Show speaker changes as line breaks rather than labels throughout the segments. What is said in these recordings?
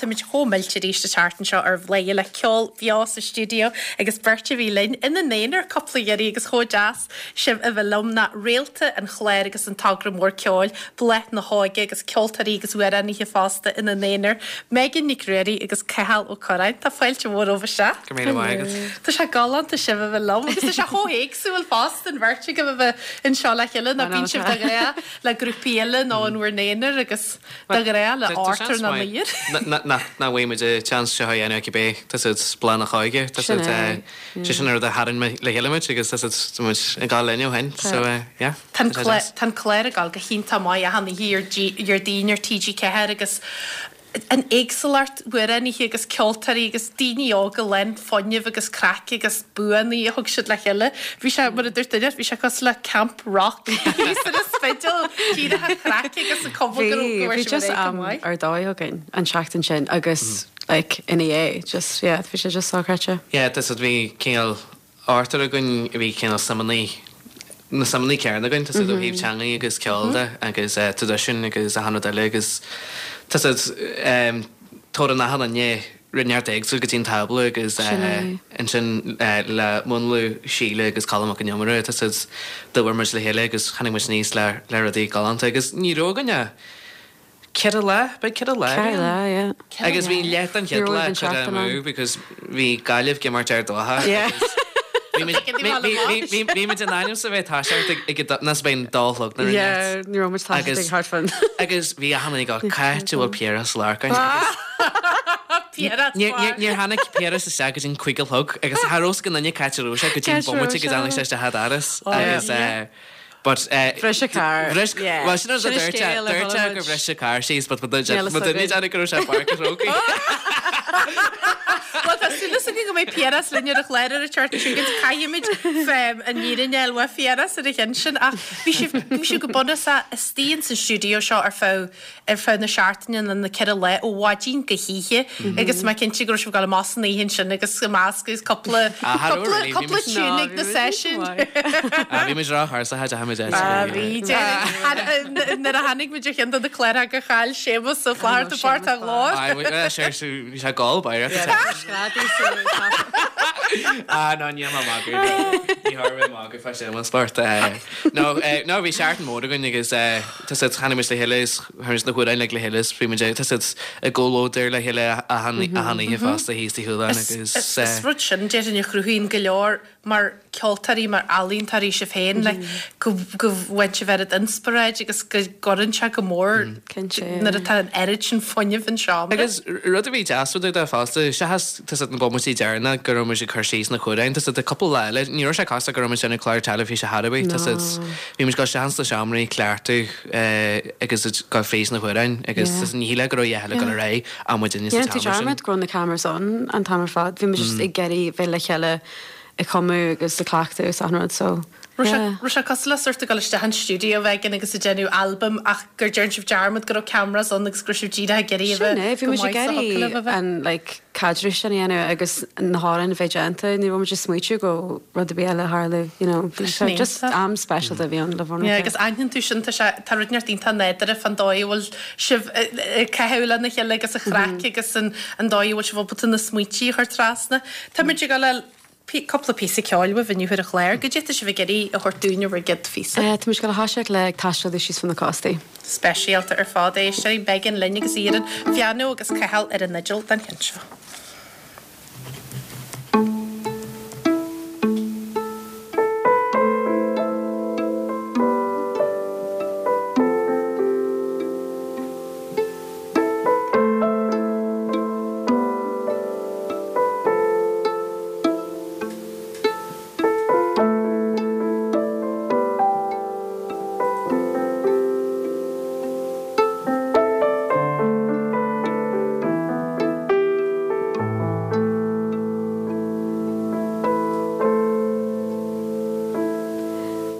Táimid chomh millte arís an tseachtain seo ar Bhladhaire le ceol beo sa stiúideo agus beirt a bhí linn ina n-aonar cúpla iarraidh agus chomh deas sibh a bheith liom ná réalta an chláir agus an togra mór ceoil, Bláth na hÓige agus ceoltóirí agus amhránaithe fosta ina n-aonar, Megan Nic Ruairí agus Cathal Ó Curráin. Tá fáilte mhór romhaibh isteach.
Go raibh míle maith agat.
Tá sé galánta sibh a bheith liom agus tá sé chomh héagsúil fosta an bheirt agaibh a bheith anseo le chéile ná bíonn sibh de ghnáth le grúpaí eile nó in bhur n-aonar agus de ghnáth le Arthur nó Nair.
Nach bhfaighidh muid an seans seo a dhéanamh cibé, tá siad Bláth na hÓige, tá siad, sé sin an rud a tharraing le chéile muid agus tá siad, tá muid ag gabháil linn ó shin, so yeah,
tá sé deas. Tá an clár ag gabháil go hiontach maith achan oíche ar Déardaoin ar TG4 agus an éagsúlacht amhránaithe agus ceoltóirí agus daoine óga lán fuinnimh agus craic agus buanna a thug siad le chéile. Bhí sé, mar a dúirt duine, bhí sé cosúil le Camp Rock thíos ar an Spidéal, díreach an chraic agus an cuma go raibh go
raibh
sibh
just
ar aghaidh go
am
maith.
ar dóigh againn an tseachtain sin agus like ina dhiaidh just yeah bhí sé just sochreidte.
Yeah, tá siad, bhí cineál ochtar againn a bhí cineál suimeanna, na suimeanna céanna againn, tá siad ó thaobh teangaí agus ceoil de agus traidisiún agus achan rud eile agus tá siad, tabharann achan duine rud inteacht éagsúil go dtí an tábla agus ansin le múnlú Síle agus Colm Mac Con Iomaire, tá siad, d'oibir muid le chéile agus tháinig muid aníos le le rudaí galánta agus ní raibh againn ach 4 lá, beidh 4 lá
4 lá, yeah.
Agus bhí leath den chéad lá curtha amú because bhí Gaillimh ag imirt Ard Mhacha agus bhí muid bhí muid in ainm 's a bheith toiseacht ag ag ná 's a bheith an dá chlog nuair a
Yeah, ní raibh muid toiseacht ag thart fán.
Agus bhí achan duine ag gabháil cá háit a bhfuil Piaras Lorcáin agus
Piaras
Níor tháinig Piaras isteach go dtí an 5 a chlog agus cha raibh 's ag aon duine cá háit a raibh sé go dtí an bomaite go dtáinig sé isteach an doras agus But eh
Bhris a carr.
Bhris,
Yeah.
well sin rud a
Sin an
dúirt sé,
scéal a
dúirt sé
chuala
gur
muid.
bhris a carr síos but
Níl fhios
mo duine
againn.
dearna go raibh sé i bPáirc an Chrócaigh.
Bhuel tá súil againn go mbeidh Piaras linn ar an chlár ar an tseachtain seo chugainn. Caithfimid fém an fhírinne a fháil uaidh Phiaras ar a chionn sin ach bhí sibh, bhí sibh go bunúsach istigh ins an stiúideo seo ar feadh ar feadh na seachtaine nó na 4 lá ó mhaidin go hoíche agus mé cinnte go raibh sibh ag dul amach san oíche ansin agus ag meascadh agus cúpla cúpla cúpla tune ag na seisiúin.
Bhí muid róthuirseach a deachaigh muid
Ah bhí déarfainn nuair a tháinig muid ar cheann de na cláracha gur chaill Séamus Ó Flatharta páirt a ghlór.
Bhí sé ag gol báire. Ah no níl mé ag magadh. Ní tharla mé magadh fá Séamus Bart. No no bhí seachtain mhór againn agus Tá siad, tháinig muid le chéile is tháinig muid na hamhráin uilig le chéile is bhí muid ag, tá siad i gcomhluadar le chéile achan achan oíche fosta thíos i Chualann agus.
Is rud sin déarfainn a chruthaíonn go leor mar ceoltóirí, mar ealaíontóirí sibh féin, like go go bhfaigheann sibh oiread inspioráid agus go gcuireann sé go mór nuair atá an oiread sin fuinnimh an seomra.
Agus rud a bhí deas fá dtaobh de fosta, seachas tá siad na bomaití deireanach go raibh muid ag cur síos na hamhráin, tá siad cúpla lá eile, ní raibh sé cosúil go raibh muid ag déanamh clár teilifíse chor ar bith, tá siad, Bhí muid ag dul isteach ins na seomraí cleachtadh agus ag gabháil fríd na hamhráin agus ní shílfeá go raibh a dhath eile ag dul ar aghaidh ach muidinne sa
Dhéanann tú
tseomra sin.
dearmad go raibh na cameras ann an t-am ar fad. Bhí muid just ag iarraidh bheith le chéile ag cumadh agus ag cleachtadh agus achan rud so yeah.
Raibh sé cosúil le sórt ag dul isteach in stiúideo éigin agus ag déanamh albam ach gur déan sibh dearmad go raibh cameras ann agus go raibh sibh díreach ag iarraidh a
Sin
bheith
é, bhí
go
muid ag
maith sa thiocfadh libh a
iarraidh
bheith.
an like caidreamh sin a dhéanamh agus na hamhráin a bheith déanta, ní raibh muid ag smaoitiú go rud ar bith eile a tharlú, you know, bhí sé just am speisialta a bhí ann le bheith
Yeah, agus aithníonn tú sin, tá sé, tá rud inteacht iontach nádúrtha fán dóigh a bhfuil sibh ag caitheamh lena chéile agus an chraic agus an an dóigh a bhfuil sibh ábalta na smaointí a chur trasna. Tá muid ag dul le cúpla píosa ceoil uaibh inniu ar an chlár. Goidé atá sibh ag iarraidh a thabhairt dúinn ar bhur gcéad phíosa.
Tá muid ag dul a thoiseacht le Ag Taisteal Síos Fá na Cóstaí.
Speisialta ar fad é. Éisteoirí, Megan linn agus í ar an phianó agus Cathal ar an fhidil don cheann seo.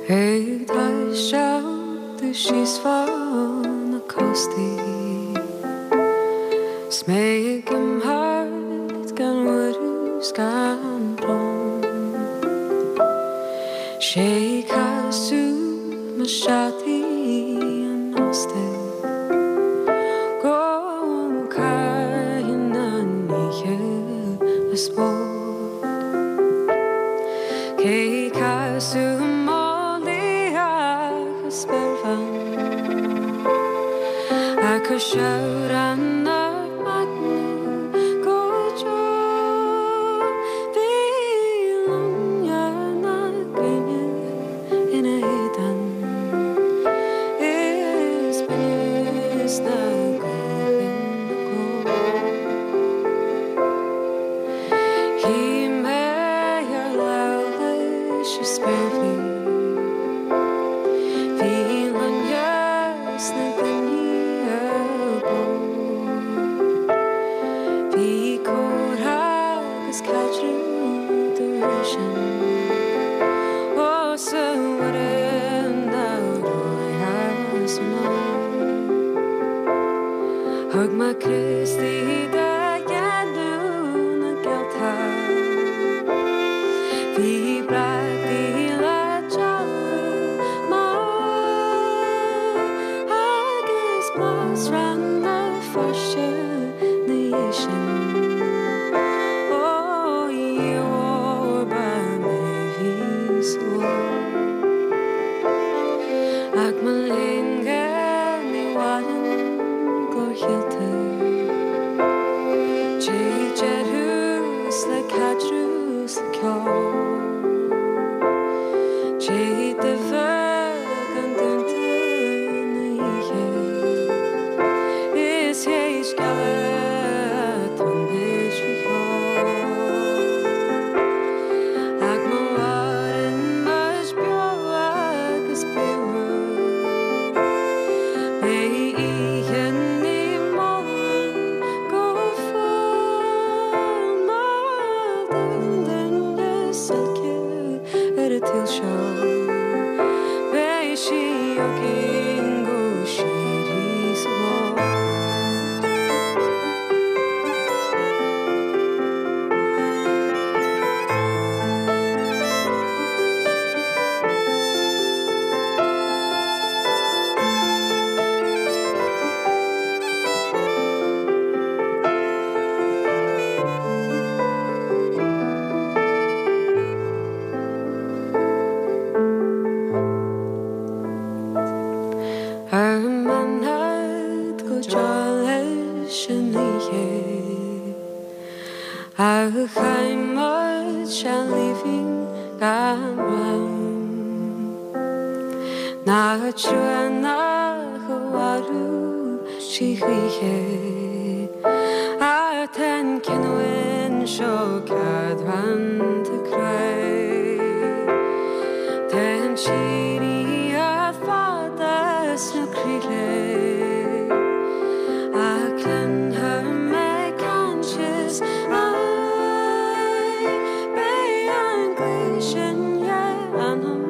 Ag taisteal domh síos fá na cóstaí 's mé ag imeacht gan urrús gan brón 'Sé casadh mo seataí an óstaigh go gcaithfinn. le spórt. Cé casadh málaí ach a spéirbhean A cur seabhrán ar maidin go deo Bhí loinnir na gréine ina héadan Is binneas na gaoithe ina glór. Shuigh mé ar lámh leis an spéirbhí. Bhí loinnir sna gloiní ar bord. Bhí comhrá agus caidreamh dá réir sin. Ós a Mhuire na Róimhe anonn. Thug mé Críostaí do dhéanamh na gCeilteach. Bhí brataí le dealbh maith agus blas Rann na Feirste 'na dhiaidh sin. Ó a Dhia mhóir ba mé bhí sa ló. Ach mo léan ní mhaireann glór Cheiltigh. Téid ar thús le caidreamh 's le ceol. Téid de bheag an dúnta na hoíche. Is théis gealladh tonnais faoi cheol. Ach má mhaireann muid beo agus bríomhar, beidh oíche Naomh Molann go fóill mar d'aon duine is oilce ar an tsaol seo. Beidh sí againn go síoraí sa ghlóir. Ar mbeannad go deo leis an oíche A chaith muid seal aoibhinn gan rann Nach trua nach mhairfeadh sí choíche Ach tá an chinniúint seo cadránta cruaidh Tá an tsíoraíocht fada sna croíthe Ach cluinfidh mé caint is aghaidh Beidh an ghaoth sin dhe anam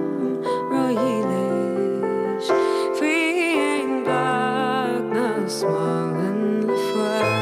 ródhílis Faoin bpáirc nach smálann le fuil.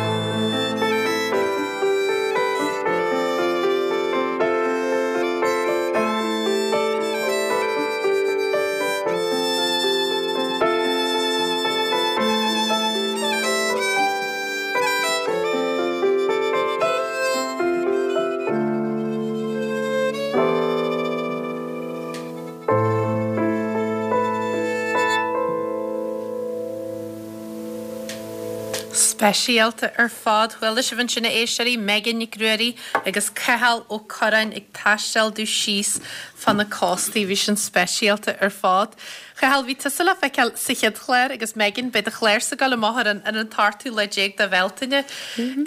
Speisialta ar fad. Chuala sibh ansin a éisteoirí, Megan Nic Ruairí agus Cathal Ó Curráin ag taisteal domh síos fá na cóstaí. Bhí sin speisialta ar fad. Chathail, bhí tusa le feiceáil sa chéad chlár agus Megan, beidh do chlársa ag dul amach ar an ar an t-ochtú lá déag de Bhealtaine.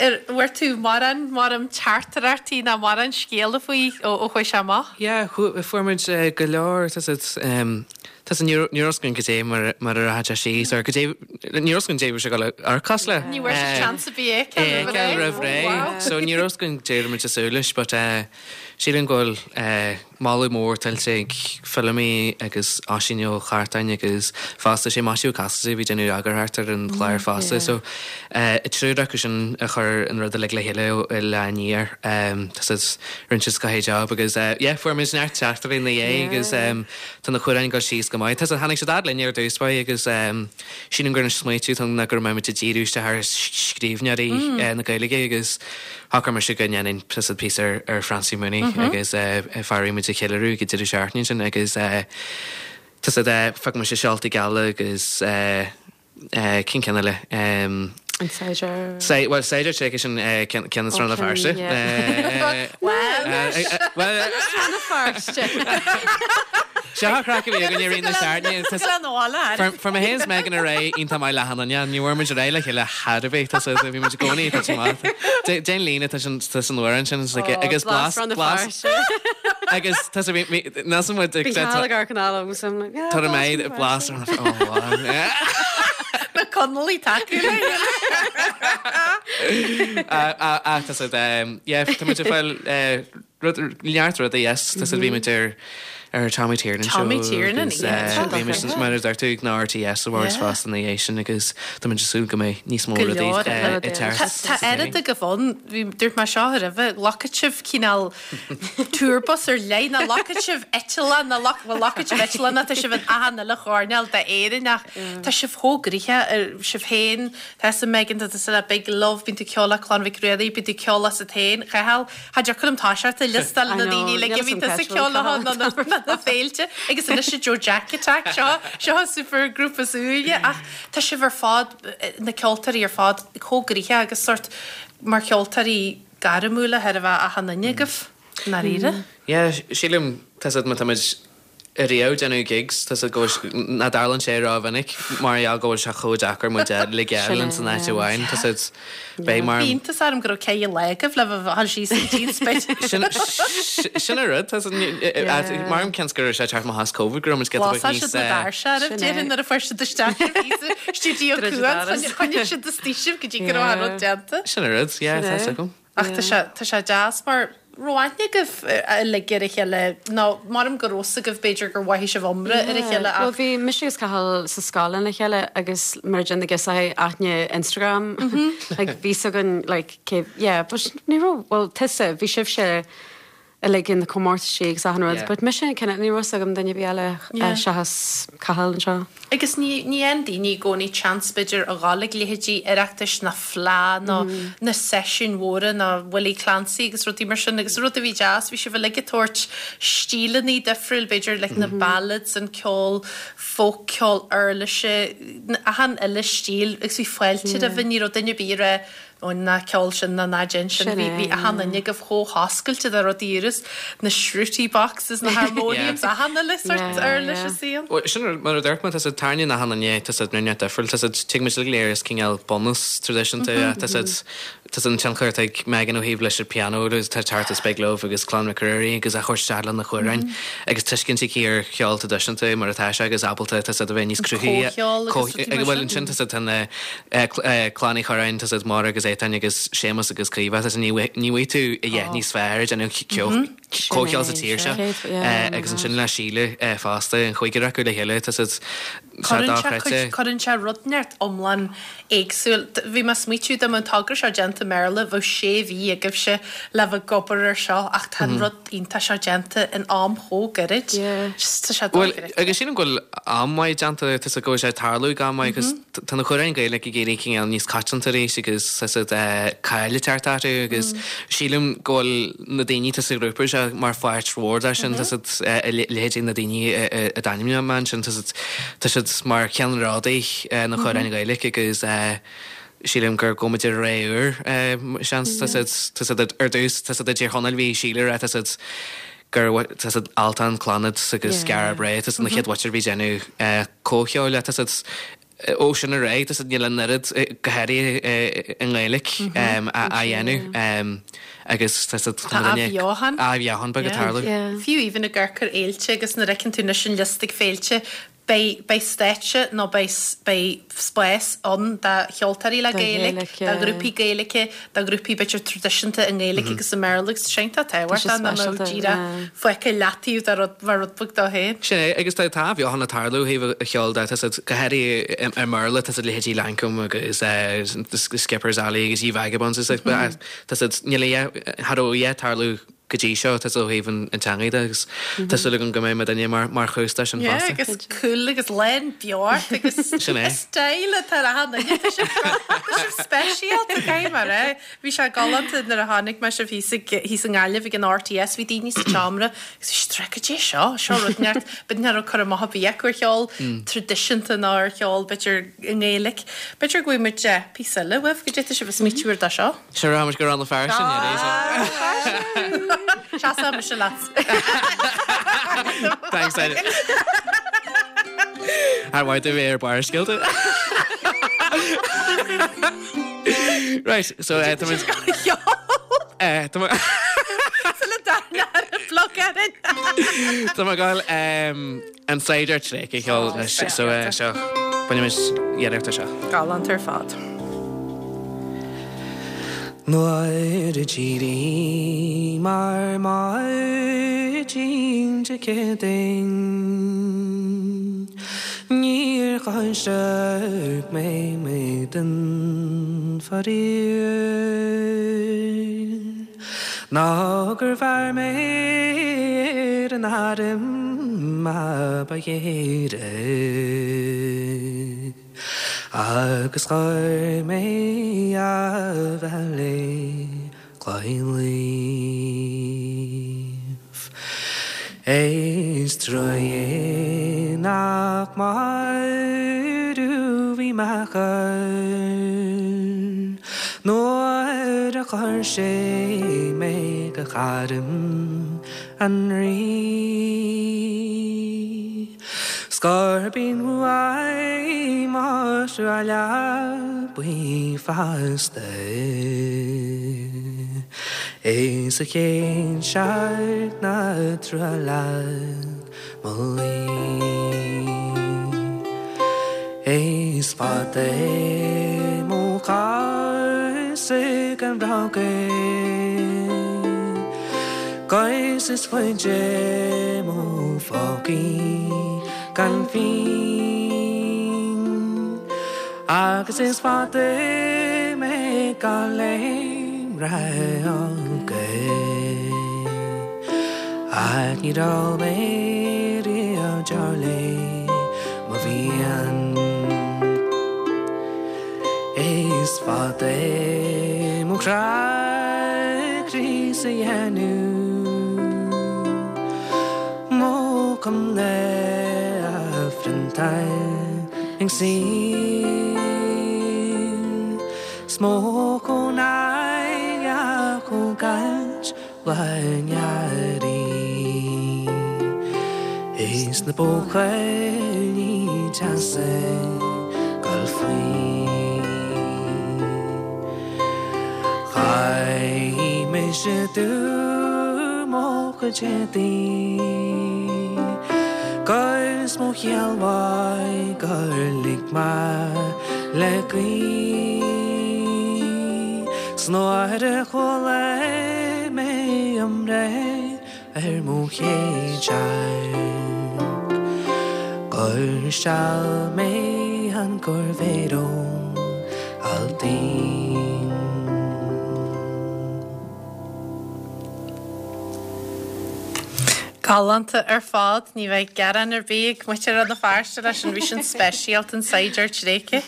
Ar bhfuair tú mórán mórán teachtaireachtaí ná mórán scéala faoi ó ó chuaigh sé amach?
Yeah, fuair muid go leor, tá a fhios agat, tá a fhios agat, ní raibh a fhios againn goidé mar mar a rachadh sé síos or goidé, ní raibh a fhios againn goidé a bhí sé ag dul a amharc le.
Ní bhfuair sibh seans ar bith é a fheiceáil roimh
ré. So ní raibh a fhios againn goidé a raibh muid ag súil leis but eh. Sílim go bhfuil moladh mór tuillte ag Feilimí agus Oisín Ó Cartáin agus fosta sé Maisiú Ó Casaide a bhí ag déanamh eagarthóireacht ar an chlár fosta so an triúr acu sin a chuir an rud uilig le chéile ó lá aniar. Tá siad, rinne siad scoth job agus yeah fuair muid neart teachtairí ina dhiaidh agus tá na hamhráin ag dul síos go maith. Tá siad, tháinig siad fhad linn ar dtús báire agus sílim gur an smaoitiú atá ann ná go raibh muid ag díriú isteach ar scríbhneoirí na Gaeilge agus Shocraigh mise go ndéanfainn píosa píosa ar Francie Mooney agus fear a bhí muid a cheiliúradh ag an deireadh seachtaine sin agus tá siad phioc mise Seoltaí Geala agus cén ceann eile?
An Saighdiúir.
Bhuel Saighdiúir Tréigthe sin ceann as Rann na Feirste.
Bhuel Rann na Feirste.
Seo an chraic a bhí againn i rith na seachtaine. Fuair mé féin is Megan ar aghaidh iontach maith le achan duine. Ní bhfuair muid ar aghaidh le chéile chor ar bith. Tá sé, bhí muid i gcónaí tá sé maith. Déan líne tá sin tá san amhrán sin is like agus blas blas agus tá sé bhí níl muid ag
Bhí Cathal ag amharc anall agus I'm like yeah
Tá mé ag blas oh wow.
Na Conallaigh tacú le
Ah tá sé yeah tá muid ag fáil Rud, neart rudaí, yes. Tá siad, bhí muid ar, ar Tommy Tiernan show
Tommy Tiernan,
agus eh, bhí muid, mar a deir tú, ag na RTS Awards fosta ina dhiaidh sin agus tá muid ag súil go mbeidh níos mó
Go
rudaí
leor
eh,
eile.
ag teacht.
Tá, tá oiread agaibh ann, bhí, dúirt mé seo roimhe, ghlacfadh sibh cineál tour bus ar leith, nó ghlacfadh sibh eitleán, nó ghlac, bhuel, ghlacfadh sibh eitleán, nó tá sibh in achan uile choirnéal d'Éirinn ach tá sibh chomh gnoitheach ar sibh féin, tá 'fhios a'm Megan, tá tusa le Big Love, bíonn tú ag ceol le Clann Mhic Ruairí, bíonn tú ag ceol asat féin, Cathal, Cha dtiocfadh liom toiseacht ag liostáil na daoine uilig a bhí tusa ag ceol leo nó na féilte agus anois an Joe Jack Attack seo seo an super grúpa is úire ach tá sibh ar fad na ceoltóirí ar fad chomh gnoitheach agus sort mar cheoltóirí gairmiúla thar a bheith achan duine agaibh i ndáiríre.
Yeah, sílim tá siad má tá muid ariamh ag déanamh gigs, tá 'fhios a'd go bhfuil, nach dtarlaíonn sé rómhinic mar gheall go bhfuil sé chomh deacair muid a ligeáil ins an áit amháin, tá 'fhios a'd, beidh mar.
Bhí iontas orm go raibh ceithre lá agaibh le bheith ag dul síos go dtí an Spidéal.
Sin, sin an rud, tá 'fhios a'd, mar ceann go raibh sé ag teacht amach as Covid go raibh muid giota beag
Bhlasáil
níos.
siad na doirse oraibh, déarfainn, nuair a fuair siad isteach sibh sa stiúideo Cuan, choinnigh siad istigh sibh go dtí go raibh an rud déanta.
Sin an rud, yeah, tá 'fhios agam.
Ach tá sé, tá sé deas mar raibh aithne agaibh uilig ar a chéile, nó maram go raibh 'fhios agaibh b'fhéidir gur mhothaigh sibh iomrá ar a chéile ach.
Bhuel bhí mise agus Cathal sa scoil lena chéile agus mar a deir na girseachaí aithne Instagram like bhí 'fhios againn like cé yeah but ní raibh bhuel tusa bhí sibhse uilig in na comórtaisí agus achan rud but mise kind of ní raibh 'fhios agam duine ar bith eile seachas Cathal anseo.
Agus ní ní fhaigheann daoine i gcónaí chance b'fhéidir a dhul ag leithéidí Oireachtais ná Fleadh nó na seisiúin mhóra nó Willie Clancy agus rudaí mar sin agus rud a bhí deas bhí sibh uilig ag tabhairt stíleanna difriúil b'fhéidir like na ballads an ceol folk ceol uirlise achan uile stíl agus bhí fáilte roimhe ní raibh duine ar bith ag rá Ó ná ceol sin ná ná déan sin. Bhí bhí achan duine agaibh chomh hoscailte do rudaí úra, na shruti boxes, na harmoniums, achan uile sort uirlis is aon.
Bhuel, sin rud, mar a dúirt mé, tá siad tairníonn achan duine, tá siad ruineach difriúil, tá siad, tig muid uilig go léir as cineál bunús traidisiúnta, tá siad, tá siad an tionchar atá ag Megan ó thaobh leis an pianó agus tá teacht as Big Love agus Clann Mhic Ruairí agus a chur isteach lena hamhráin agus tuiscint aici ar cheol traidisiúnta mar atá sé agus ábalta tá siad a bheith níos cruthaithí.
Comhcheol agus rudaí mar sin.
Bhuel, ansin tá siad tá na Clann Uí Churráin, tá siad Máire agus Étáin agus Séamus agus Caoimhe, tá siad, ní bhfaighidh tú a dhath níos fearr ag déanamh comhcheol sa tír seo agus ansin le Síle fosta, an chúigear acu le chéile, tá siad sé dochreidte.
Cuireann sé rud inteacht iomlán éagsúil. Bhí mé ag smaoitiú dá mbeadh an togra seo déanta i mBéarla, bheadh sé mhí agaibhse le bheith ag obair air seo ach tá an rud iontach seo déanta in am chomh gairid. Just tá sé
Bhuel,
dochreidte.
agus sílim go bhfuil am maith déanta, tá 'fhios a'd go bhfuil sé ag tarlú ag am maith agus tá na hamhráin Gaeilge ag éirí cineál níos coitianta arís agus tá 'fhios a'd cáil ag teacht orthu agus sílim go bhfuil na daoine atá sa ghrúpa seo mar pháirt mhór de sin, tá 'fhios a'd a leithéidí na daoine a d'ainmnigh mé ansin, tá 'fhios a'd tá siad mar cheannródaí na hamhráin Ghaeilge agus sílim gur gabhfaidh muid ar ré úr, seans, tá 'fhios a'd, tá 'fhios a'd ar dtús, tá 'fhios a'd i dTír Chonaill bhí Síle tá 'fhios a'd gur tá 'fhios a'd Altan, Clannad agus Skara Brae, tá 'fhios a'd na chéad mhuintir a bhí ag déanamh comhcheoil, tá 'fhios a'd ó sin ar aghaidh, tá 'fhios a'd níl an oiread go háirithe i nGaeilge á dhéanamh agus tá 'fhios a'd
Tá athbheochan.
Athbheochan beag ag tarlú.
Fiú even ag amharc ar fhéilte agus nuair a fheiceann tú anois an liosta ag féilte. Beidh, beidh stáitse nó beidh, beidh spás ann do cheoltóirí le Gaeilge, do ghrúpaí Gaeilge, do ghrúpaí b'fhéidir traidisiúnta i nGaeilge agus i mBéarla agus tá sé iontach tábhachtach nach mbeadh díreach fágtha i leataobh do rud, mar rud beag dó féin.
Sin é, agus tá, tá athbheochan ag tarlú ó thaobh an cheoil de, tá siad, go háirithe i mBéarla, tá siad leithéidí Lankum agus Skipper's Alley agus Ye Vagabonds is tá siad, níl a dhath, cha raibh a dhath ag tarlú go dtí seo, tá ó thaobh an teangaidh de agus tá súil agam go mbeidh muidinne mar chúis de sin
fosta. Yeah, agus cool agus lán beocht agus
Sin é.
style atá ar achan duine. Tá sibh tá sibh speisialta, caithfidh mé a rá. Bhí sé galánta nuair a chonaic mé sibh thíos ag thíos i nGaillimh ag an RTS, bhí daoine sa tseomra agus bhí siad ag rá goidé seo, seo rud inteacht, b'fhéidir nach raibh cur amach ar bith acu ar cheol traidisiúnta ná ar cheol b'fhéidir i nGaeilge. B'fhéidir go bhfaighidh muid píosa eile uaibh, goidé tá sibh ag smaoitiú ar dó seo.
Sure, rachaidh muid go Rann na Feirste
Seasfaidh mise leat.
Thanks, Ed. Ar mhaith do bheith ar Barrscéalta? Right, so eh, tá muid... Eh, tá muid...
Sula dtarna ar an bhloc Erin.
Tá mé ag gabháil ehm, An Saighdiúir Tréigthe a cheol anois so seo bainfimis iarracht ar seo.
Galánta ar fad.
Nuair a d'éiríomar maidin Dé Céadaoin Níor thoisigh mé m'éadan faraor. Ná gur bheir mé ar an arm a ba ghéire Agus chuir mé abhaile Gaillimh. Is trua é nach marbh bhí m'athair Nuair a chuir sé mé go harm an Rí. 'S gurb in uaidh mo thruaille buí fosta. Is a chéad searc ná trua leat mo luí. Is fada é mo chás gan rogha 'Gus is faide mo phócaí gan phingin Agus is fada mé gan léim rogha Ach níor ól mé riamh deoir le mo mhian. Is fada é mo chrá críos a dhéanamh, Mo chuimhne a phriontáil ag saol, 'S mo chónaí a thógáilt lá an earraigh, Is na buachaillí deasa gabháil faoi. Chaith mise dubh mo chuid éadaí 'Gus mo chiall mhaith gur lig mé le gaoth. 'S nuair a chuala mé i mbreith ar mo chéad searc Gur steall mé an corrmhéar ón alltaoin.
Galánta ar fad, ní bheidh gearán ar bith ag muintir Rann na Feirste leis an bhí sin speisialta an Saighdiúir Tréigthe.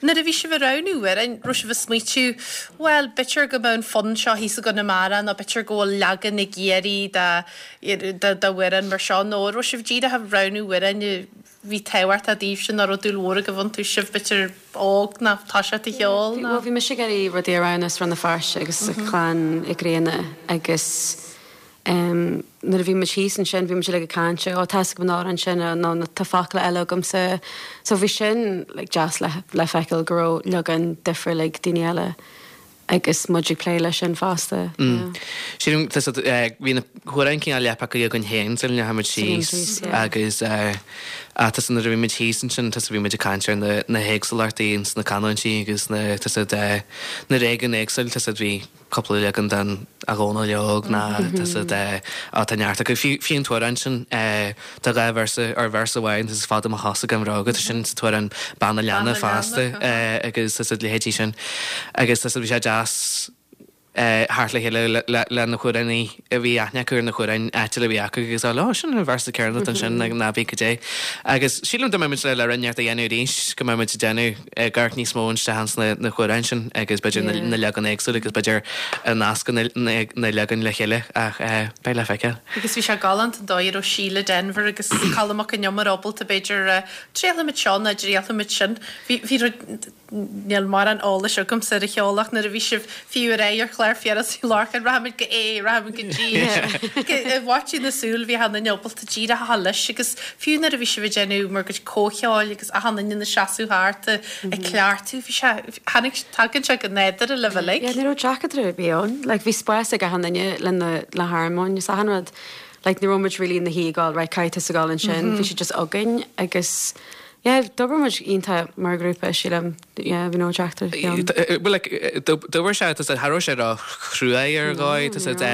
Nuair a bhí sibh ag roghnú amhráin, raibh sibh ag smaoitiú, bhuel, b'fhéidir go mbeadh an fonn seo thíos i gConamara nó b'fhéidir go bhfuil leagan i gCiarraí de d'amhrán mar seo nó raibh sibh díreach ag roghnú amhráin a bhí tábhachtach daoibhse nó raibh dúil mhór agaibh iontu, sibh b'fhéidir óg nó toiseacht ag ceol nó.
Bhuel, bhí mise ag iarraidh rudaí a roghnú as Rann na Feirste agus Clann Uí Ghrianna agus Nuair a bhí muid thíos ansin bhí muid uilig ag caint, ó tá 'fhios agam an amhrán sin nó tá focail eile agamsa. So bhí sin like deas le le feiceáil go raibh leagan difriúil ag daoine eile agus muid ag plé leis sin fosta. Yeah.
Sílim tá siad eh bhí na hamhráin cineál leath pioctha againn féin sula ndeachaigh muid síos agus eh. Ach tá nuair a bhí muid thíos ansin, tá bhí muid ag caint ar na na héagsúlachtaí ins na canúintí agus na tá siad na réigiúin éagsúil, tá siad bhí cúpla leagan den A Dhónaill Óg ná tá siad á tá neart acu. Fiú fiú an t-amhrán sin tá dhá véarsa or véarsa amháin tá is fada mo chosa gan bhróga tá sin sa t-amhrán Bean an Leanna fosta agus tá siad leithéidí sin agus tá siad bhí sé deas theacht le chéile le na hamhránaí a bhí aithne acu ar na hamhráin áitiúla a bhí acu agus á ó sin an véarsa céanna ansin ná bí go dté. Agus sílim dá mbeadh muid le le rud inteacht a dhéanamh arís go mbeadh muid ag déanamh ag amharc níos mó isteach ins na hamhráin sin agus b'fhéidir na leagan éagsúla agus b'fhéidir a nascadh na leagain le chéile ach beidh le feiceáil.
Agus bhí sé galánta an dóigh a raibh Síle Denvir agus Colm Mac Con Iomaire ábalta b'fhéidir triailfimid seo nó triailfimid sin. Bhí bhí rud Níl mórán eolais agamsa ar an cheol ach nuair a bhí sibh fiú ar aghaidh ar chlár Phiarais Uí Lorcáin, rachaimid go A, rachaimid go G, i bhfaiteadh na súl bhí achan duine ábalta díreach a dhul leis agus fiú nuair a bhí sibh ag déanamh bhur gcuid comhcheoil agus achan duine ina seasamh thart ag cleachtadh, bhí sé, tháinig, tagann sé go nádúrtha libh uilig.
Yeah, ní raibh deacracht ar bith ann. Like bhí spás ag achan duine le na, le harmóin is achan rud. Like ní raibh muid really ina shuí ag gabháil, right, caithfidh tusa gabháil ansin, bhí sé just againn agus Yeah, d'oibir muid iontach mar ghrúpa, sílim. Yeah, bhí no deacracht ar bith ann.
Well, like, d'oibir sé, tá siad, cha raibh sé ró-chruaidh ar dhóigh, tá siad,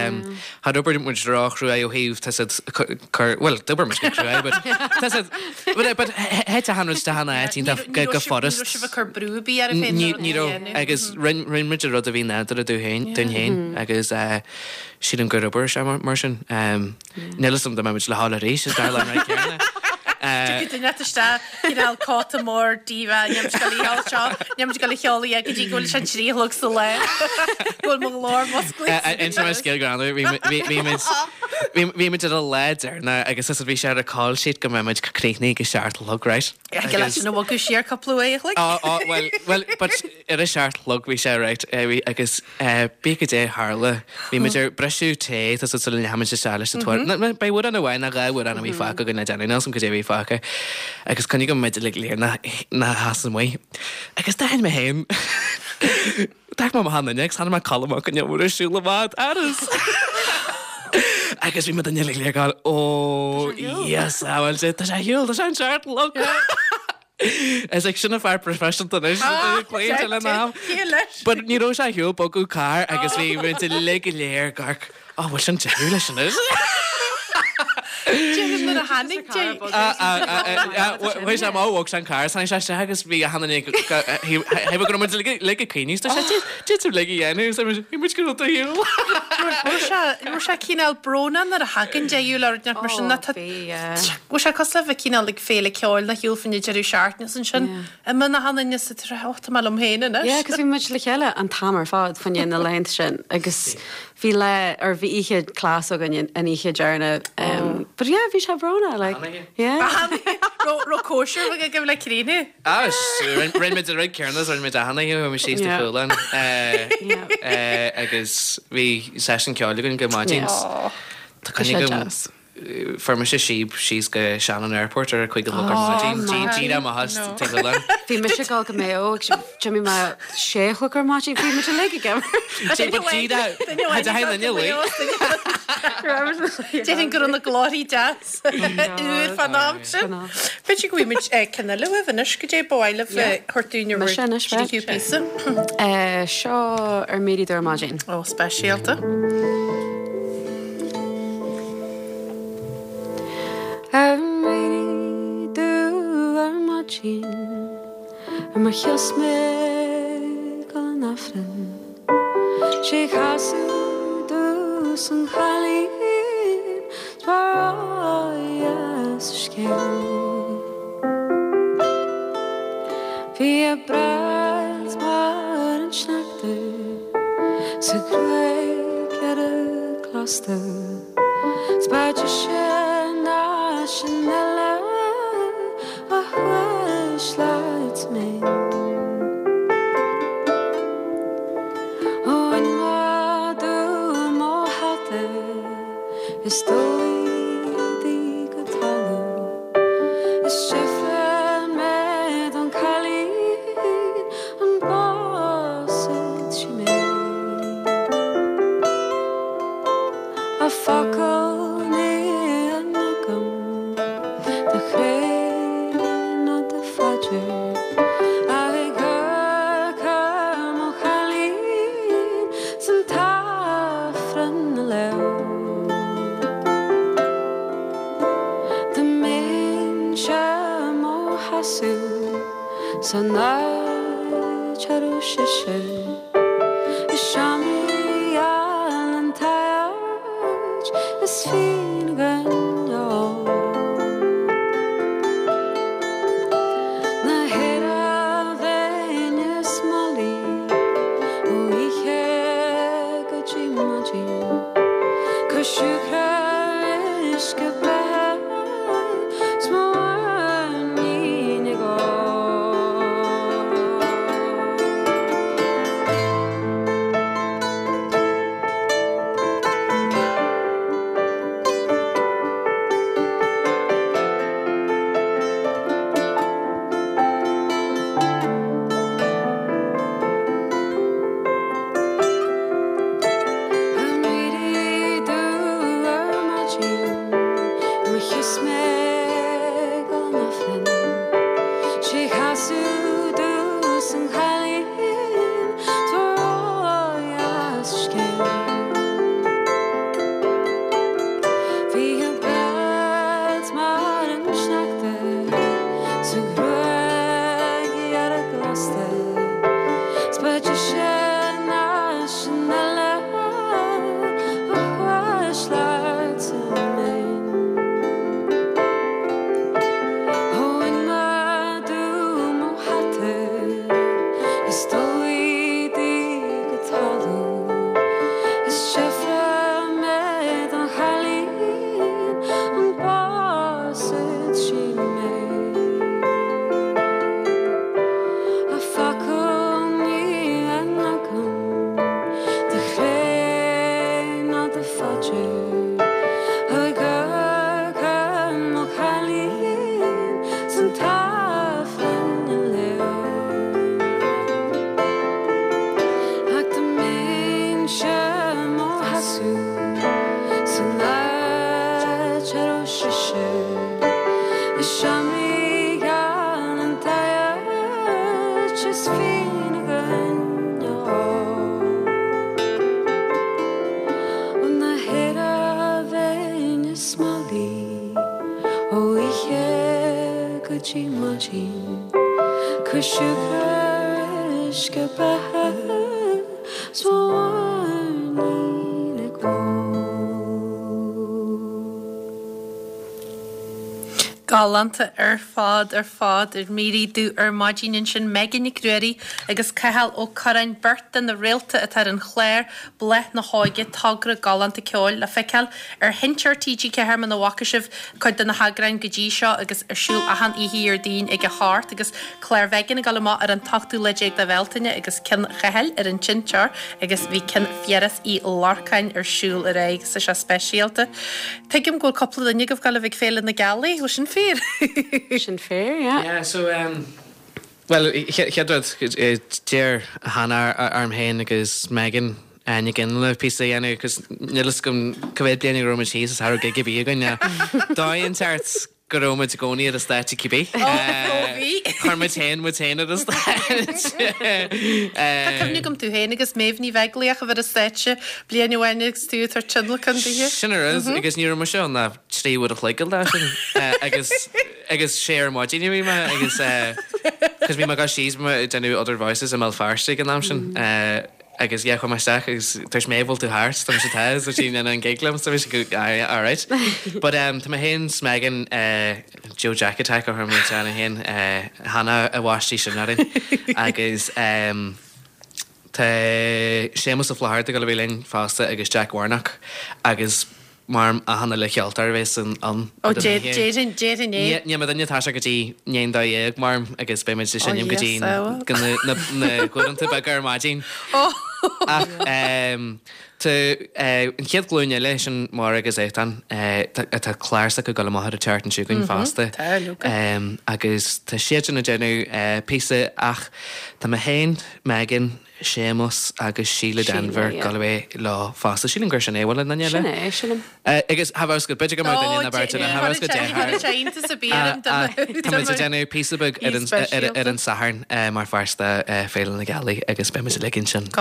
char oibir muid ró-chruaidh ó thaobh, tá siad, cur, well, d'oibir muid go cruaidh, but, tá siad, but, but, thit achan rud isteach ina áit iontach go, go furast.
Ní raibh sibh ag cur brú ar bith oraibh féin
Ní, ní raibh, agus rinn, rinn muid an rud a bhí nádúrtha dúinn féin, dúinn féin, agus, sílim gur oibir sé mar, mar sin. Níl fhios agam dá mbeidh muid le dhul arís, is dar le an rud céanna.
Tiocfaidh duine inteacht isteach, cineál cóta mór díomha, níl muid ag dul a cheol seo, níl muid ag dul a cheol a go dtí go bhfuil sé 3 a chlog sa lá, go bhfuil mo ghlór musclaithe.
Inseoidh mé scéal greannmhar, bhí muid, bhí muid ar an lá deireanach agus bhí sé ar an call sheet go mbeidh muid críochnaithe ag a 7 a chlog, right?
Go leis sin a bhogadh siar cúpla uair a chloig.
Ó, ó, well, well, but ar a 7 a chlog bhí sé, right, agus Bíodh goidé a tharla, bhí muid ar briseadh tae, tá sula ndeachaigh muid isteach leis an t-amhrán. Beidh amhrán amháin nó dhá amhrán a bhí fágtha againn le déanamh, níl 'fhios a'm goidé a bhí fágtha. Agus coinnigh go mbeidh uilig léir na sheasamh amuigh. Agus d'aithin mé féin, d'amharc mé amach an fhuinneog agus chonaic mé Colm Mac Con Iomaire ag siúl amach an doras. Agus bhí muid uilig léir ag gabháil, ó, yes, bhuel, tá sé ar shiúl, tá sé an seacht a chlog. Is ag sin an fear proifisiúnta anois cloíonn le am. But ní raibh sé ar shiúl bogadh carr agus bhí muid uilig go léir ag amharc, oh bhfuil sin deireadh leis anois?
Déarfainn nuair a tháinig dé.
Bhí sé amach bhog sé an carr, tháinig sé isteach agus bhí achan duine thaobh go raibh muid uilig ag caoineadh, tá sé did tú uilig a dhéanamh, so bhí muid go raibh do shiúl.
Raibh sé cineál brónach nuair a thagann deireadh le rud mar sin, tá Bhfuil sé cosúil le bheith cineál ag féile ceoil nach shiúl faoin deireadh seachtaine is ansin imíonn achan duine is tú ag rá, oh tá mé liom féin anois.
Yeah, 'cause bhí muid le chéile an t-am ar fad fá choinne na laethanta sin agus bhí lá, or bhí oíche class againn an oíche deireanach but yeah bhí sé brónach like yeah.
Raibh cóisir bheag agaibh le críochnú?
Ah, rinne muid an rud céanna is a rinne muid achan oíche, chuaigh muid síos go Cualann agus bhí seisiún ceoil againn go maidin. Tá coinne agam. Fuair mise síob síos go Shannon Airport ar a 5 a chlog ar maidin. Díreach amach as Tigh Chualann.
Bhí mise ag dul go Mayo agus d'imigh mé sé a chlog ar maidin. Bhí muid uilig ag imirt.
Déarfainn go raibh na glórthaí deas úr fán am sin. B'fhéidir go bhfaighidh muid ceann eile uaibh anois, goidé ba mhaith libh a thabhairt dúinn ar bhur dtríú píosa.
Seo ar m'éirí dubh ar maidin.
Ó, speisialta.
Ar m'éirí dubh ar maidin Ar mo chos mé ag dul an Aifrinn 'Sé casadh domhsa an cailín 's breáighe sa scéal. Bhí a breac mar an sneachta 's a gruaig dhearg lasta. 'S ba deise ná sin uile a chuisle mé. Ó bhain madadh mo hata is d'fholaigh í go talamh is d'fhiafraigh mé don cailín an bpósfadh sí mé. A focal ní fhan agam do chreid. San áit a raibh sise Is seomraí geal an t-áit is fíon againn a ól. Na haire bhéinn is Molly ó oíche go dtí maidin Cuir siúcra ar uisce beatha 's mo mhuinín ag ól. An éirí dubh ar maidin Mo chios mé gan Aifreann Sé chasadh domh san chailín Tá ródheas scéal Bhí a beilt mar an sneachta Sa ghruaig dhearg lasta 'S ba deise ná sin eile A chuisleáirt mé Ó in mo dúm ó hata Is dóigh di go talamh Is seifre mé don chailín An bpósfaidh sí mé A focal ní bheinn agam Do chré ná do phaidir Ag amharc ar mo chailín 's an tAifreann a léamh. Ach dá mbeinnse mo sheasamh san áit a raibh sise I seomraí geal an t-áit is fíon againn a ól. Ó na haire bhéinn is Molly ó oíche go dtí maidin Cuir siúcra ar uisce beatha 's mo mhuinín ag ól.
Galánta ar fad ar fad Ar m'éirí dubh ar maidin ansin Megan Nic Ruairí agus Cathal Ó Curráin, beirt de na réalta atá ar an chlár Bláth na hÓige, togra galánta ceoil le feiceáil ar Sheinnteoir TG4 muna bhfaca sibh cuid de na heagráin go dtí seo agus ar siúl achan oíche Dhéardaoin ag a hocht agus clár Mhegan ag dul amach ar an t-ochtú lá déag de Bhealtaine agus ceann Chathail ar an tseinnteoir agus bhí ceann Phiarais Uí Lorcáin ar siúl aréir agus tá sé speisialta. Tuigim go bhfuil cúpla duine agaibh ag dul a bheith ag Féile na Gealaí, bhfuil sin fíor?
Sin fíor, yeah.
Yeah, so um, Bhuel, chéad rud, d'iarr Hannah orm féin agus Megan Nic Fhionnghaile píosa a dhéanamh agus níl fhios agam cá mhéad bliain go raibh muid thíos is cha raibh gig ar bith againn. Dóigh inteacht go raibh muid i gcónaí ar an stáitse cibé.
Ó, bhí.
Chuir muid féin muid féin ar an stáitse.
Tá cuimhne agam tú féin agus Méabh Ní Bheaglaoich a bheith ar an stáitse bliain amháin agus tú ag tabhairt tionlacan dithe.
Sin an rud, agus ní raibh mise ann ach 3 uair a chloig an lá sin agus agus sé ar maidin a bhí mé agus cos bhí mé ag dul síos bhí mé ag déanamh Other Voices i mBéal Feirste ag an am sin agus yeah chuaigh mé isteach agus dúirt Méabh bhfuil tú thart tá mise tá so sí in an gig liom so bhí sí go aye alright but um, tá mé féin 's Megan uh, Joe Jack Attack a chuir muid ann féin uh, Hannah a bhaist í sin orainn agus um, tá Séamus Ó Flatharta ag dul a bheith linn fosta agus Jack Warnock agus mar achan uile cheoltóir a bheas ann.
Ó, déarfainn, déarfainn
é. Níl mé duine atá sé go dtí i ndiaidh a 12, mar agus beidh muid ag seinm go dtí na huaireanta beaga ar maidin. Ach tá an chéad ghlúin eile, sin Máire agus Étáin, tá clár s'acu ag dul amach ar an tseachtain seo chugainn fosta. Agus tá siadsan ag déanamh píosa ach tá mé féin, Megan, Séamus agus Síle Denvir ag dul a bheith leo fosta. Sílim gur sin é, bhfuil aon duine eile?
Sin é, sílim.
Agus tha bheith go b'fhéidir go mbeadh duine ná beirt eile, tha bheith go deartháir. Tá muid ag déanamh píosa beag ar an ar an Satharn mar pháirt de Féile na Gealaí agus beidh muid uilig ansin i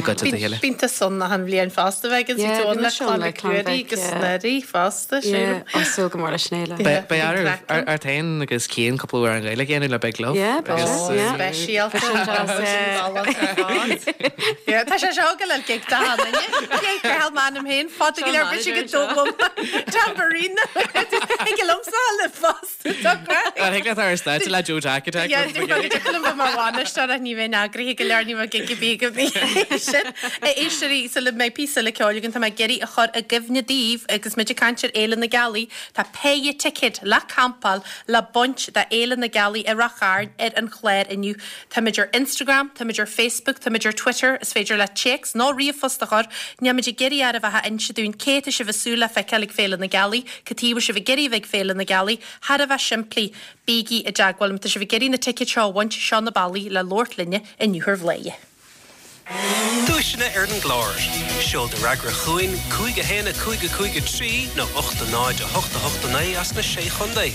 gcuideachta a chéile.
Bíonn tusa ann achan bhliain fosta bheidh an tú ann le Clann Mhic Ruairí agus Ruairí fosta, sílim.
Yeah, súil go mór leis an fhéile.
Beidh ort féin agus Cian cúpla amhrán Gaeilge a dhéanamh le Big Love.
Yeah, beidh.
Speisialta. Tá sé seo go le gig do Hannah. Gig ar m'ainm féin fada go leor bit go dógam tambourine. Ag liomsa le fosta tá craic.
Ar thig leat ar stáitse le Joe Jack Attack?
Yeah, dúirt mar bhainisteoir ach ní bheinn eagraithe go leor ní bheadh gig ar bith agam sin. A éisteoirí, sula mbeidh píosa eile ceoil againn tá mé ag iarraidh a chur i gcuimhne daoibh agus muid ag caint ar Fhéile na Gealaí, tá péire ticéad le campáil le baint do Fhéile na Gealaí i Ráth Chairn ar an chlár inniu. Táimid ar Instagram, táimid ar Facebook, táimid ar Twitter, is féidir leat téacs nó ríomhphost a chur, nílimid ag iarraidh oraibh ach a inse dúinn cé atá sibh ag súil le feiceáil ag Féile na Gealaí, cad chuige a bhfuil sibh ag iarraidh a bheith ag Féile na Gealaí, thar a bheith simplí, bígí i dteagmháil má tá sibh ag iarraidh na ticéid seo a bhaint, seo na bealaí le labhairt linne inniu ar Bhladhaire.
Duaiseanna ar an gclár. Seol do fhreagra chugainn, 5 1 5 5 3 nó 8 0 8 8 9 as na Sé Chontae.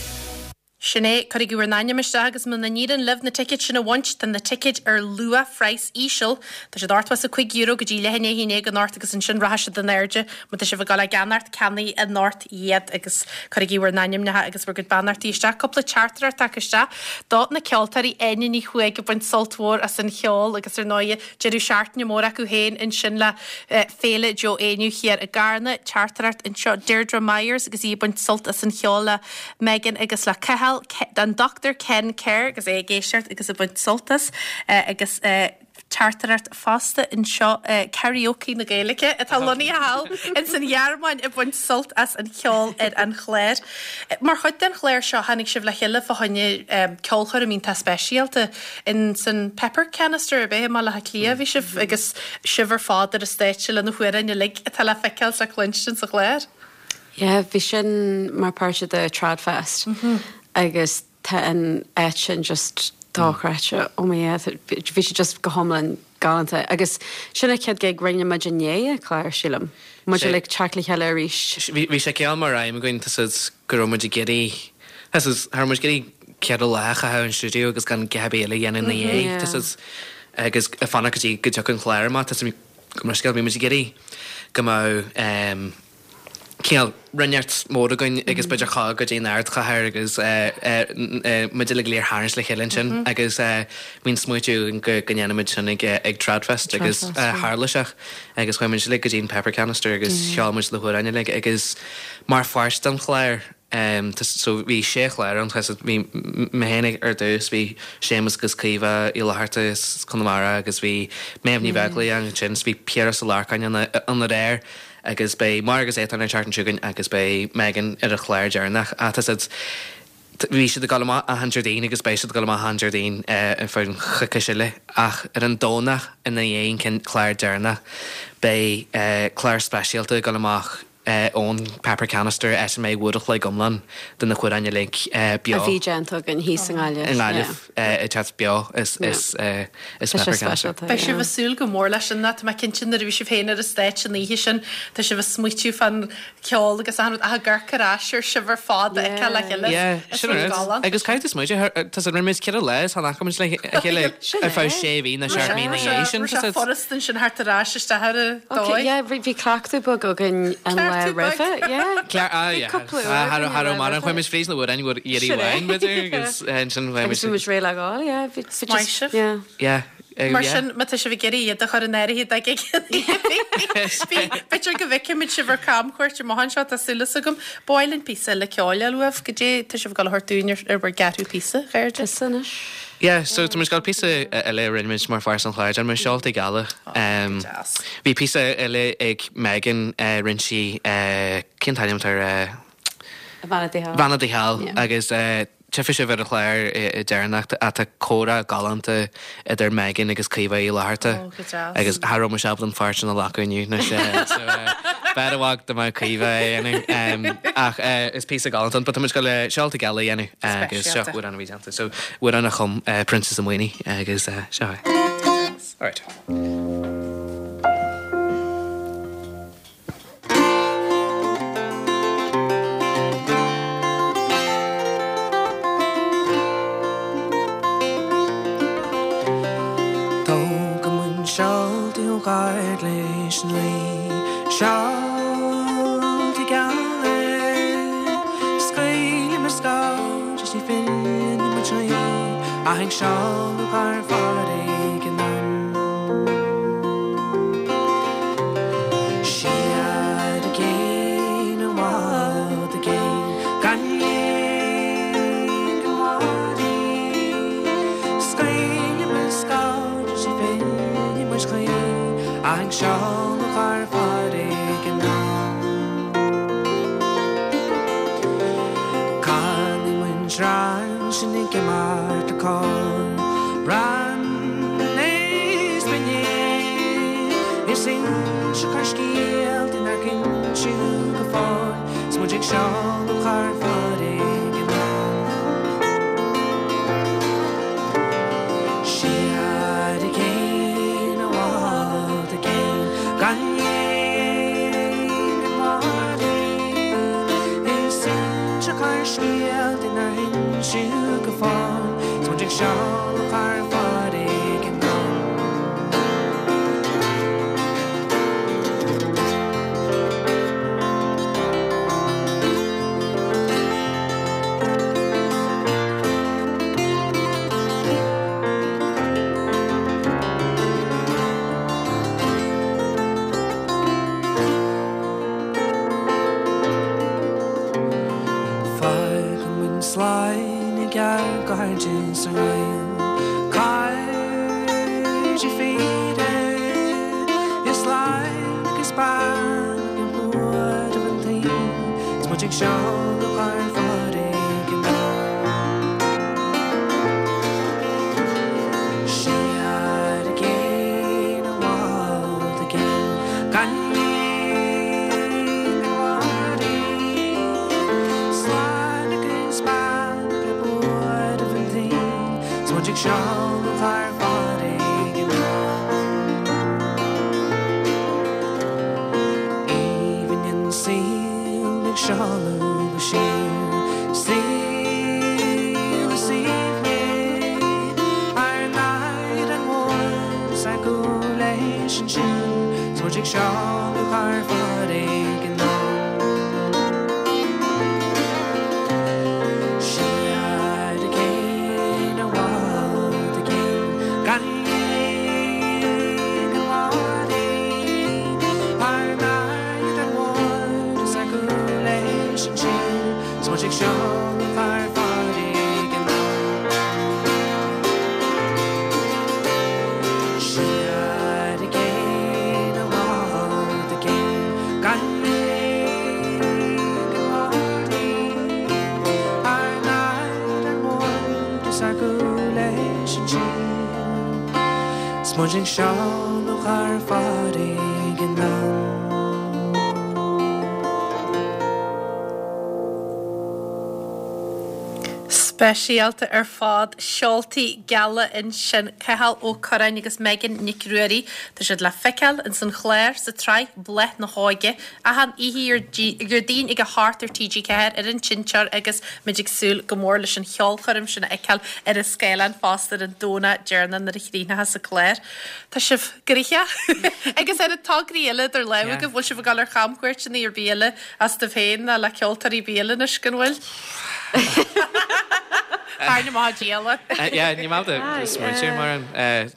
Sin é, cuirigí bhur n-ainm isteach agus muna n-éiríonn libh na ticéid sin a bhaint, tá na ticéid ar luath-phraghas íseal. Tá siad €85 go dtí leath i ndiaidh a 11 anocht agus ansin rachaidh siad in airde. Má tá sibh ag dul á gceannacht, ceannaigh anocht iad agus cuirigí bhur n-ainmneacha agus bhur gcuid beannachtaí isteach. Cúpla teachtaireacht tagtha isteach do na ceoltóirí Áine Ní Chuaig ag baint sult mhór as an cheol agus ar ndóighe deireadh seachtaine mór acu féin ansin le Féile Joe Éinniú thiar i gCarna. Teachtaireacht anseo Deirdre Myers agus í ag baint sult as an cheol le Megan agus le Cathal, an Dr Ken Kerr agus é ag éisteacht agus ag baint sult as agus teachtaireacht fosta anseo Karaoke na Gaeilge atá lonnaithe thall ins an Ghearmáin ag baint sult as an cheol ar an chlár. Mar chuid den chlár seo tháinig sibh le chéile fá choinne ceolchoirm iontach speisialta ins an Pepper Canister ab é i mBaile Átha Cliath a bhí sibh agus sibh ar fad ar an stáitse le na hamhráin uilig atá le feiceáil is le cluinstin sa chlár.
Yeah, bhí sin mar páirt de Tradfest agus tá an áit sin just dochreidte, oh my yeah, bhí sé just go hiomlán galánta agus sin an chéad gig rinne muid i ndiaidh an chláir, sílim, muid uilig teacht le chéile arís.
Bhí sé cineál mar aidhm againn, tá 's a'd go raibh muid ag iarraidh, tá 's a'd, cha raibh muid ag iarraidh ceithre lá a chaitheamh in stiúideo agus gan a dhath ar bith eile a dhéanamh ina dhiaidh, tá 's a'd, agus ag fanacht go dtí go dtiocfadh an clár amach, tá 's a'd, go mbeadh scéal, bhí muid ag iarraidh go mbeadh cineál rud inteacht mór againn agus b'fhéidir ghabháil go dtí an ardchathair agus muid uilig ag tharraingt le chéile ansin agus bhí an smaoitiú againn go go ndéanfaidh muid sin ag ag Tradfest agus tharla sé agus chuaigh muid uilig go dtí an Pepper Canister agus cheol muid na hamhráin uilig agus mar pháirt den chlár So bhí sé chlár ann, bhí mé féin ar dtús, bhí Séamus agus Caoimhe Uí Fhlatharta as Conamara agus bhí Méabh Ní Bheaglaoich ann ansin, bhí Piaras Ó Lorcáin ann aréir agus beidh Máire agus Étáin an tseachtain seo chugainn agus beidh Megan ar an chlár deireanach. Ach tá siad, bhí siad ag dul amach achan Déardaoin agus beidh siad ag dul amach achan Déardaoin ar feadh an choicís eile ach ar an Domhnach ina dhiaidh an clár deireanach beidh clár speisialta ag dul amach ón Pepper Canister áit a mbeidh uair a chloig iomlán de na hamhráin uilig beo.
A bhí déanta againn thíos i nGaillimh.
I nGaillimh ag teacht beo as Pepper Canister.
Beidh sibh ag súil go mór leis sin, tá mé cinnte nuair a bhí sibh féin ar an stáitse an oíche sin, tá sibh ag smaoitiú fán cheol agus achan rud ach ag amharc ar ais ar sibh ar fad a fheiceáil le chéile.
Yeah, sin an rud. Agus caithfidh tú smaoitiú, tá 's a'd rinne muid ceithre lá is chan fhaca muid le chéile ar feadh sé mhí nó seacht mí ina dhiaidh sin.
Raibh sé furast ansin thart ar ais isteach ar an
dóigh. Yeah, bhí cleachtadh beag againn an lá roimhe, yeah.
Ah, yeah.
Cúpla uair againn an lá roimhe.
Chuaigh muid fríd na hamhráin uair iarraidh amháin, b'fhéidir, agus ansin chuaigh muid.
Agus bhí muid réidh le gabháil, yeah. Bhí
just, Maith sibh.
yeah.
Yeah.
Mar sin, má tá sibh ag iarraidh iad a chur in áirithe do ghig bhí, b'fhéidir go bhfeicfimid sibh ar camchuairt amach anseo, tá súil as agam. Ba mhaith linn píosa eile ceoil a fháil uaibh, goidé tá sibh ag dul a thabhairt dúinn ar bhur gceathrú píosa, a chairde?
Tusa anois.
Yeah, so tá muid ag gabháil píosa eile a rinne muid mar pháirt den chlár, déanfaidh muid Seoltaí Geala.
Go deas.
Bhí píosa eile ag Megan, rinne sí, cén t-ainm atá air?
Bhean an Tí Thall.
Bhean an Tí Thall agus tchífidh sibh ar an chlár deireanach tá comhrá galánta idir Megan agus Caoimhe Uí Fhlatharta.
Ó, go deas.
Agus cha raibh mise ábalta an pháirt sin a ghlacadh inniu, anois, so b'fhearr i bhfad dá mbeadh Caoimhe á dhéanamh. Ach is píosa galánta ann, but tá muid ag gabháil Seoltaí Geala a dhéanamh agus seo
Speisialta.
amhrán a bhí déanta. So amhrán a chum Proinsias Ó Maonaigh agus seo é.
Go deas. Agus?
Alright. Tógfaidh muid seoltaí ó ghaird leis an Rí, seoltaí geala, Scaoilfidh muid scaird is ní fhilleann muid choíche ach ag seoladh thar farraige anonn. Siar i gcéin i bhfad i gcéin gan léig go maraí. Scaoilfidh muid scaird is ní fhillfidh muid choíche ach ag seoladh thar farraige anonn. Canfaidh muid rann sinn ag imeacht le cór, rann níos binne, is inseofar scéalta nár inseadh go fóill 's muid ag seoladh thar farraige anonn. Siar i gcéin i bhfad i gcéin gan léig go maraí is inseofar scéalta nár inseadh go fóill 's muid ag seoladh thar farraige anonn. Fágfaidh muid slán ag ár gcairde is ár ngaol, cairde fíre, is lán agus bean ag buaireamh an tsaoil, 's muid ag seoladh thar farraige anonn. Siar i gcéin i bhfad i gcéin gan léig go maraí, slán agus beannacht le buaireamh an tsaoil, 's muid ag seoladh thar farraige anonn. Aoibhinn an saol ag seoladh go siar, saol is aoibhne, ár n-aire mhór 's ár gcúl leis an siúl, 's muid ag seoladh thar farraige anonn. Siar i gcéin i bhfad i gcéin gan léig go maraí, ár n-aire mhór 's ár gcúl leis an siúl, 's muid ag seoladh thar farraige anonn. Siar i gcéin i bhfad i gcéin gan léig go maraí, ár n-aire mhór is ár gcúl leis an siúl, 's muid ag seoladh thar farraige anonn.
Speisialta ar fad, seoltaí geala ansin, Cathal Ó Curráin agus Megan Nic Ruairí. Tá siad le feiceáil ins an chlár sa tsraith Bláth na hÓige, achan oíche Dhéardaoin ag a hocht ar TG4 ar an tseinnteoir agus muid ag súil go mór leis an cheolchoirm sin a fheiceáil ar an scáileán fosta ar an Domhnach deireanach nuair a chríochnóchas an clár. Tá sibh gnoitheach agus ar na tograí eile idir lámha agaibh, bhfuil sibh ag dul ar chamchuairteanna ar bith eile astaibh féin ná le ceoltóirí ar bith eile anois, an bhfuil? Tairne maith díola.
Yeah, ní maith do smaointiú mar an.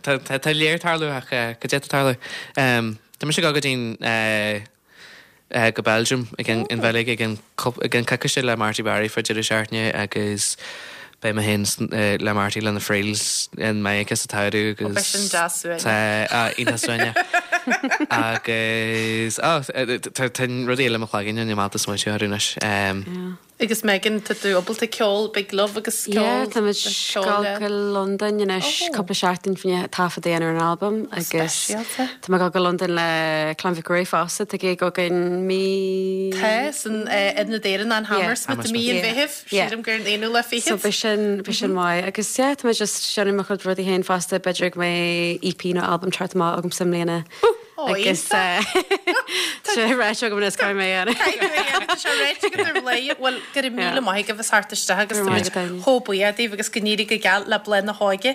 Tá léir tarlú ach go dté tarlú. Tá mise ag dul go dtí'n go Belgium ag an Bheilg ag an coicíse le Marty Barry fá deireadh seachtaine agus beidh mé féin le Marty le na Friels in Meiriceá sa tsamhradh agus
Beidh sin deas suaimhneach.
Tá iontach suaimhneach agus tá rudaí eile i mo chloigeann ní maith do smaointiú orthu anois.
Agus Megan, tá tú ábalta ceol Big Love agus ceol
Yeah, tá muid ag dul go Londain anois cúpla seachtain fá choinne taifead a dhéanamh ar an albam agus
Speisialta.
tá mé ag dul go Londain le Clann Mhic Ruairí fosta, tá gig againn mí.
Tá, san Ionad Éireannach in Hammersmith i mí an Mheithimh, sílim gur an aonú lá fichead.
So beidh sin, beidh sin maith agus yeah, tá mé just déanamh mo chuid rudaí féin fosta, b'fhéidir go mbeidh EP nó albam teacht amach agamsa i mbliana. Agus tá sé ráite agam anois caithfidh mé a dhéanamh.
Caithfidh tú a dhéanamh, tá sé ráite agat ar bhlaoth. Bhuel, go raibh míle maith agaibh as theacht isteach agus tá muid chomh buíoch daoibh agus go n-éirí go geal le Bláth na hÓige.